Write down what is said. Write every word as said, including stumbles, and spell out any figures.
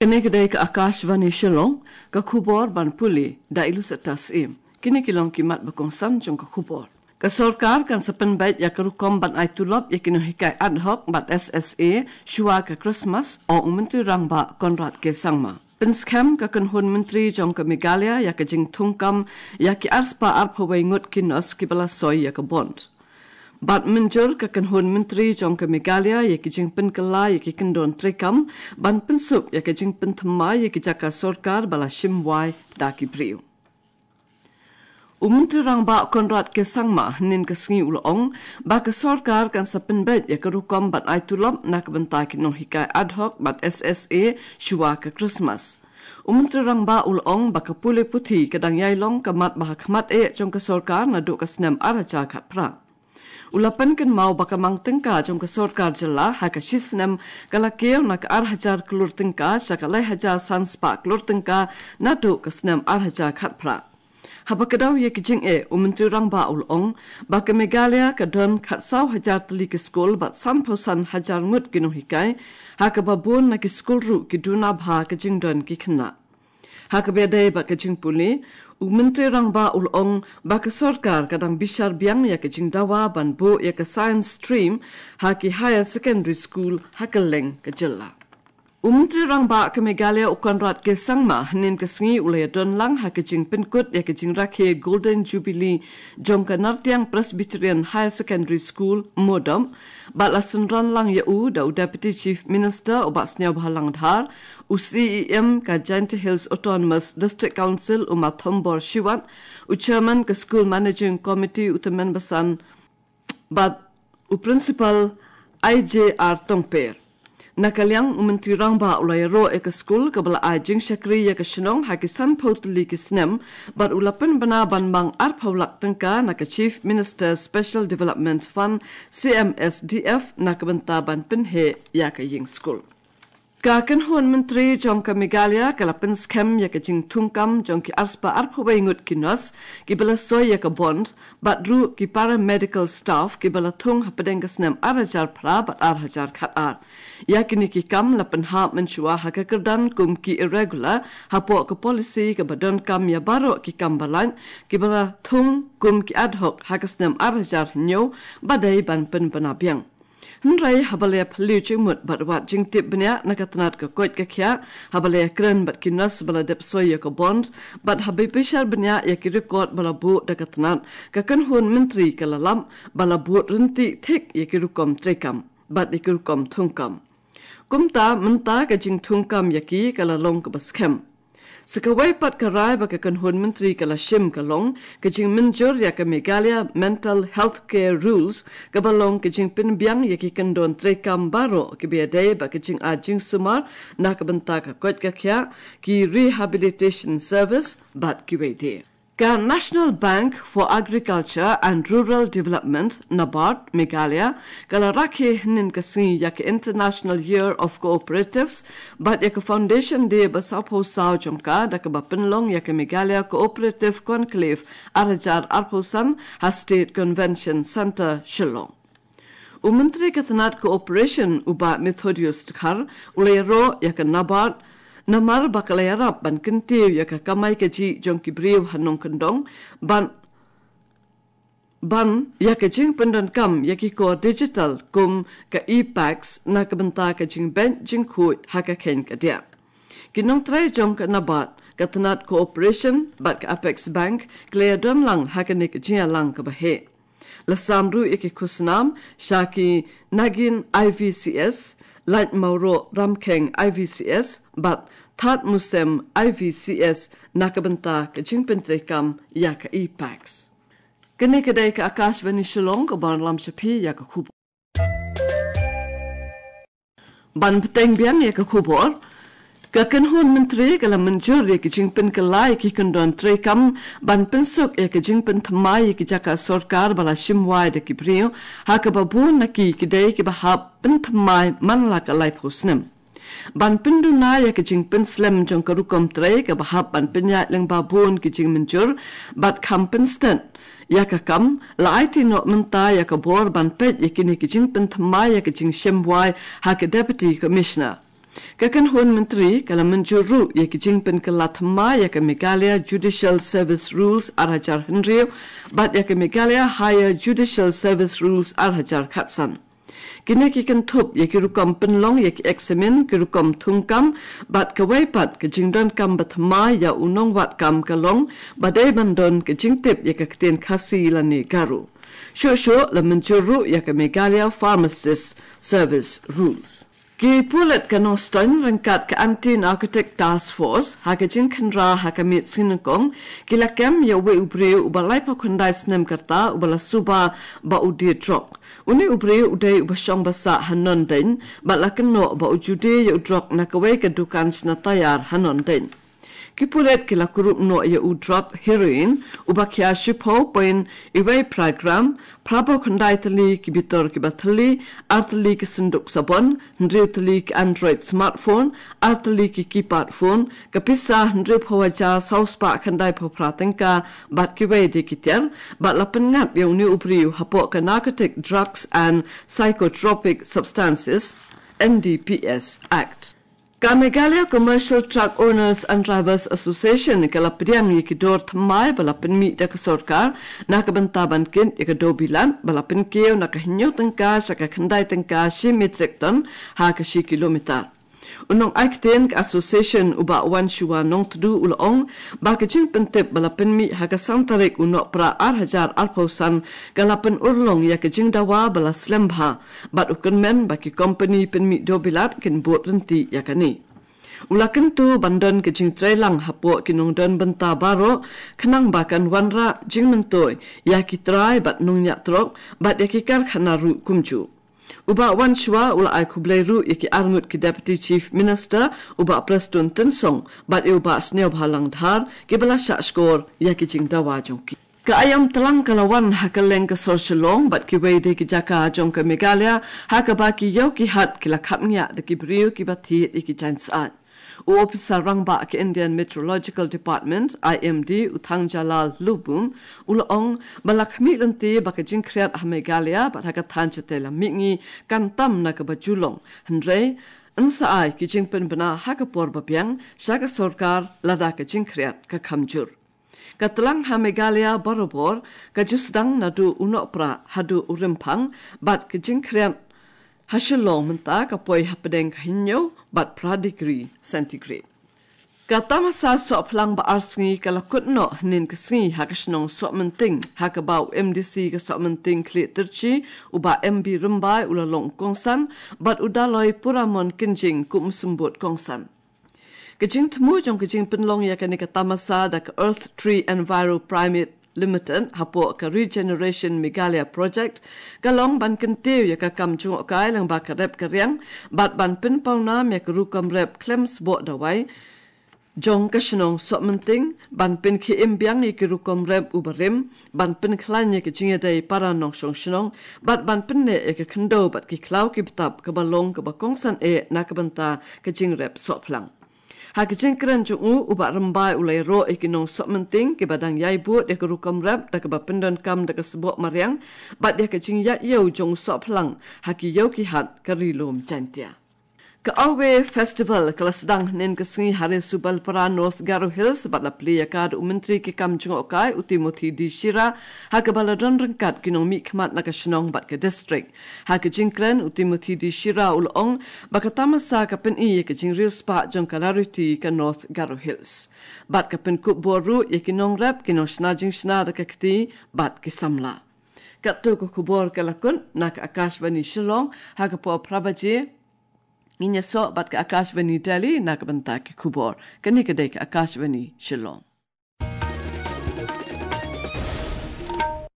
Kane ka dei ka Akashvani Shillong, ka khubor ban pule da i Lucetta Syiem. Kine ki long ki mat ba kongsan jong ka khubor. Ka sorkar kan sa pynbeit ïa ka rukom ban ai tulop ïa ki nonghikai ad hoc bad S S A shuwa ka Christmas, ong u Myntri Rangbah Conrad K Sangma. Pynskhem ka kynhun myntri jong ka Meghalaya ïa ka jingthungkam ïa ki arspah arphew wei ngut ki nurse kiba la soi ïa ka bond. Bad mynjur ka kynhun myntri jong ka Meghalaya ïa ki jingpynkylla ïa ki kyndon treikam ban pynsuk ïa ka jingpynthymmai ïa ki jaka sorkar ba la shim wai da ki briew. U Myntri Rangbah Conrad K Sangma hynnin ka sngi u la ong ba ka sorkar kan sa pynbeit ïa ka rukom ban ai tulop na ka bynta ki nonghikai ad hoc bad S S A shuwa ka Christmas. U Myntri Rangbah u la ong ba ka pule puthi ka dang ïai long ka mat ba ha khmat eh jong ka sorkar naduh ka snem ar hajar khatphra. U la pynkynmaw ba ka mang tyngka jong ka sorkar jylla ha ka shi snem ka la kiew na ka ar hajar klur tyngka sha ka lai hajar san spah klur tyngka naduh ka snem ar hajar khatphra. Haba kdew ïa ki jingeh, u Myntri Rangbah u la ong ba ka Meghalaya ka don khatsaw hajar tylli ki skul bad sanphew san hajar ngut ki nonghikai, ha kaba bun na ki skul ruh ki duna bha ka jingdon ki khynnah. Ha kaba ïadei bad ka jingpule, u Myntri Rangbah u la ong ba ka sorkar ka dang bishar biang ïa ka jingdawa ban buh ïa ka science stream ha ki higher secondary school ha kylleng ka jylla. U Myntri Rangbah ka Meghalaya u Conrad K Sangma hynnin ka sngi u la ïadon lang ha ka jingpynkut ïa ka jingrakhe Golden Jubilee jong ka Nartiang Presbyterian Higher Secondary School, Moodom, bad la synran lang ïa u da u Deputy Chief Minister u Bah Sniawbhalang Dhar, u C E M ka Jaintia Hills Autonomous District Council u Ma Thombor Shiwat, u Chairman ka School Managing Committee u Tymmen Basan, bad u Principal I J R Tongper. Na ka liang u Myntri Rangbah u la ïaroh ïa ka skul kaba la ai jingshakri ïa ka shnong ha ki sanphew tylli ki snem, bad u la pynbna ban mang arphew lak tyngka na ka Chief Minister Special Development Fund, C M S D F, na ka bynta ban pynheh ïa ka ïing skul. Ka kynhun myntri jong ka Meghalaya ka la pynskhem ïa ka jingthungkam jong ki arspah arphew wei ngut ki nurse kiba la soi ïa ka bond, bad ruh ki paramedical staff kiba la thung hapdeng ka snem ar hajar phra bad ar hajar khatar. Ïa kine ki kam la pynhap mynshuwa ha ka kyrdan kum ki irregular hapoh ka policy kaba donkam ïa baroh ki kam ba lait kiba la thung kum ki ad hoc ha ka snem ar hajar hynñiew ba dei ban pynbna biang. Hynrei haba la ïa phylliew jingmut bad wad jingtip bniah na ka tnat ka koit ka khiah, haba la ïa kren bad ki nurse ba la dep soi ïa ka bond, bad haba bishar bniah ïa ki record ba la buh da ka tnat, ka kynhun myntri ka la lap ba la bud ryntih thik ïa ki rukom treikam bad ïa ki rukom thungkam. Kumta mynta ka jingthungkam ïa ki ka la long kaba skhem. Sa kawei pat ka rai ba ka kynhun myntri ka la shim ka long ka jingmynjur ïa ka Meghalaya Mental Health Care Rules, kaba long ka jingpynbiang ïa ki kyndon treikam baroh kiba ïadei bad ka jingai jingsumar na ka bynta ka koit ka khiah, ki rehabilitation service bad kiwei de. Ka National Bank for Agriculture and Rural Development, NABARD, Meghalaya, ka la rakhe hynnin ka sngi ïa ka International Year of Cooperatives bad ïa ka Foundation Day ba sawphew saw jong ka da kaba pynlong ïa ka Meghalaya Cooperative Conclave ar hajar arphew san ha State Convention Centre, Shillong. U Myntri ka tnat Cooperation u Bah Methodius Dkhar u la ïaroh ïa ka NABARD namar ba ka la ïarap ban kyntiew ïa ka kamai kajih jong ki briew ha nongkyndong, ban ban ïa ka jingpyndonkam ïa ki kor digital kum ka e-PACS na ka bynta ka jingbeit jingkhuid ha ka kheiñ ka diah. Ki nongtrei jong ka NABARD, ka tnat Cooperation bad ka Apex Bank ki la ïadon lang ha kane ka jingïalang kaba heh. La sam ruh ïa ki khusnam sha ki Nagin I V C S, Lait Mawroh Ramkheng I V C S bad Thad Musem I V C S na ka bynta ka jingpyntreikam ïa ka e-PACS. Kane ka dei ka Akashvani Shillong kaba wanlam sha phi ïa ka khubor. Ban bteng biang ïa ka khubor, ka kynhun myntri ka la mynjur ïa ka jingpynkylla ïa ki kyndon treikam ban pynsuk ïa ka jingpynthymmai ïa ki jaka sorkar ba la shim wai da ki briew, ha kaba bun na ki ki dei kiba hap pynthymmai man la ka laiphew snem. Ban pynduna ïa ka jingpynslem jong ka rukom trei kaba hap ban pynïaid lyngba bun ki jingmynjur bad kham pynstet ïa ka kam, la aiti noh mynta ïa ka bor ban peit ïa kine ki jingpynthymmai ïa ka jingshim wai ha ka Deputy Commissioner. Ka kynhun myntri ka la mynjur ruh ïa ki jingpynkylla thymmai ïa ka Meghalaya Judicial Service Rules ar hajar hynriew bad ïa ka Meghalaya Higher Judicial Service Rules ar hajar khatsan. Kine ki kynthup ïa ki rukom pynlong ïa ki eksamin, ki rukom thungkam bad kawei pat ka jingdonkam ba thymmai ïa u nongwad kam ka long ba dei ban don ka jingtip ïa ka ktien Khasi lane Garo. Shuh shuh la mynjur ruh ïa ka Meghalaya Pharmacist Service Rules. Ki pulit ka Nongstoiñ ryngkat ka Anti Narcotic Task Force ha ka jingkhynra ha ka miet sngi nyngkong ki la kem ïa uwei u briew uba laiphew khyndai snem ka rta uba la suba ba u die drok. Une u briew u dei uba shong ba sah ha Nongdeiñ bad la kynnoh ba u ju die ïa u drok na kawei ka dukan shna tayar ha Nongdeiñ. Ki pulit ki la kurup noh ïa u drok heroin uba khia shiphew point iwei phra gram, phraphew khyndai tylli ki bitor kiba thylli, ar tylli ki synduk sabon, hynriew tylli ki Android smartphone, ar tylli ki keypad phone, ka pisa hynriewphew hajar saw spah khyndaiphew phra tyngka bad kiwei de ki tiar bad la pynngat ïa une u briew hapoh ka Narcotic Drugs and Psychotropic Substances, N D P S Act. Ka Meghalaya Commercial Truck Owners and Drivers Association ka la pdiang ïa ki dor thymmai ba la pynmih da ka sorkar na ka bynta ban kit ïa ka dewbilat ba la pynkiew na ka hynñiew tyngka sha ka khyndai tyngka shi metric ton ha ka shi kilometer. U nongai ktien ka association u Bah Wanshuwa Nongtdu u la ong ba ka jingpyntip ba la pynmih ha ka san tarik u Nohprah ar hajar arphew san ka la pynurlong ïa ka jingdawa ba la slem bha bad u kyrmen ba ki kompani pynmih dewbilat kin bud ryntih ïa kane. U la kyntu ban don ka jingtreilang hapoh ki nongdon bynta baroh khnang ba kan wanrah jingmyntoi ïa ki trai bad nongñiah trok bad ïa ki karkhana ruh kumjuh. U Bah Wanshuwa u la ai khublei ruh ïa ki arngut ki Deputy Chief Minister, u Bah Prestone Tynsong bad ïa u Bah Sniawbhalang Dhar kiba la shah shkor ïa ki jingdawa jong ki. Ka aïom tlang ka la wan ha kylleng ka sor Shillong bad kiwei de ki jaka jong ka Meghalaya ha kaba ki ïew ki hat ki la khapngiah da ki briew kiba thied ïa ki jaiñ syaid. U ophisar rangbah ka Indian Meteorological Department, I M D, u Thangjalal Lubum u la ong ba la khmih lynti ba ka jingkhriat ha Meghalaya bad ha ka thaiñ shatei lam mihngi kan tam na kaba ju long, hynrei yn sa ai ki jingpynbna ha ka por ba biang sha ka sorkar lada ka jingkhriat ka kham jur. Ka tlang ha Meghalaya barabor ka ju sdang naduh u Nohprah haduh u Rymphang bad ka jingkhriat ha Shillong mynta ka poi hapdeng ka hynñiew bad phra degree centigrade. Ka tamasa sohphlang ba ar sngi ka la kut noh hynnin ka sngi ha ka shnong Sohmynting ha kaba u M D C ka Sohmynting Khlieh Tyrshi u Bah M B Rymbai u la long kongsan bad u Daloi Puramon Kynjing kum u symbud kongsan. Ka jingthmu jong ka jingpynlong ïa kane ka tamasa da ka Earth Tree Enviro Private Limited hapoh ka Regeneration Meghalaya Project ka long ban kyntiew ïa ka kam jngohkai lyngba ka rep ka riang bad ban pynpawnam ïa ka rukom rep khlem sboh dawai jong ka shnong Sohmynting, ban pynkhie im biang ïa ki rukom rep u barim, ban pynkhlaiñ ïa ka jingïadei para nongshong shnong bad ban pynneh ïa ka khyndew bad ki khlaw ki btap kaba long kaba kongsan eh na ka bynta ka jingrep sohphlang. Ha ka jingkren jong u, u Bah Rymbai u la ïaroh ïa ki nong Sohmynting kiba dang ïai bud ïa ka rukom rep da kaba pyndonkam da ka sboh mariang bad ïa ka jingïaid ïew jong u sohphlang ha ki ïew ki hat ka Ri Lum Jaintia. Ka Away Festival ka la sdang hynnin ka sngi ha Ri Subalpara, North Garo Hills bad la plie ïa ka da u Myntri ki kam jngohkai u Timothy D Shira ha kaba la don ryngkat ki nongmihkhmat na ka shnong bad ka district. Ha ka jingkren u Timothy D Shira u la ong ba ka tamasa ka pyni ïa ka jingriewspah jong ka rariti ka North Garo Hills bad ka pynkup bor ruh ïa ki nongrep, ki nongshna jingshna da ka kti bad ki samla. Katto ka khubor ka la kut na ka Akashvani Shillong ha ka por phra baje. Ngin ïasoh bad ka Akashvani Delhi na ka bynta ki khubor. Kane ka dei ka Akashvani Shillong.